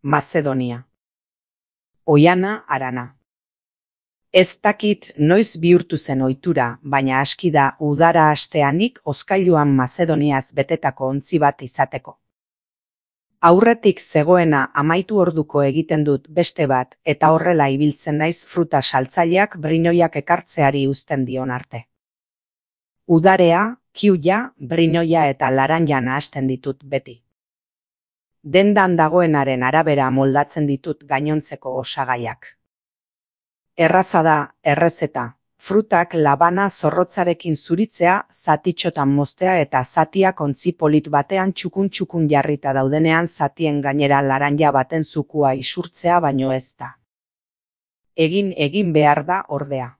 Mazedonia. Oiana Arana. Ez dakit noiz bihurtu zen ohitura, baina aski da udara hasteanik hozkailuan Mazedoniaz betetako ontzi bat izateko. Aurretik zegoena amaitu orduko egiten dut beste bat, eta horrela ibiltzen naiz fruta saltzaileak brinoiak ekartzeari uzten dion arte. Udarea, kiuia, brinoia eta laranja nahasten ditut beti. Dendan dagoenaren arabera moldatzen ditut gainontzeko osagaiak. Erraza da, errezeta, frutak labana zorrotzarekin zuritzea, zatitxotan moztea eta zatiak ontzi polit batean txukun jarrita daudenean zatien gainera laranja baten zukua isurtzea baino ez da. Egin behar da ordea.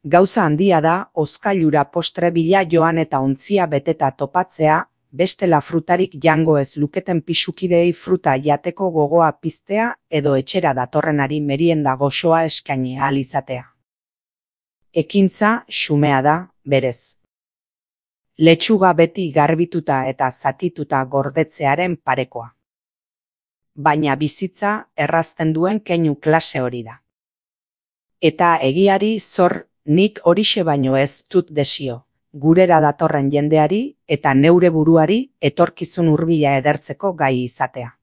Gauza handia da, hozkailura postre bila joan eta ontzia beteta topatzea, bestela frutarik jango ez luketen pisukideei fruta jateko gogoa piztea edo etxera datorrenari merienda goxoa eskaini ahal izatea. Ekintza xumea da, berez. Letxuga beti garbituta eta zatituta gordetzearen parekoa. Baina bizitza errazten duen keinu klase hori da. Eta egiari zor, nik horixe baino ez dut desio. Gurera datorren jendeari eta neure buruari etorkizun hurbila edertzeko gai izatea.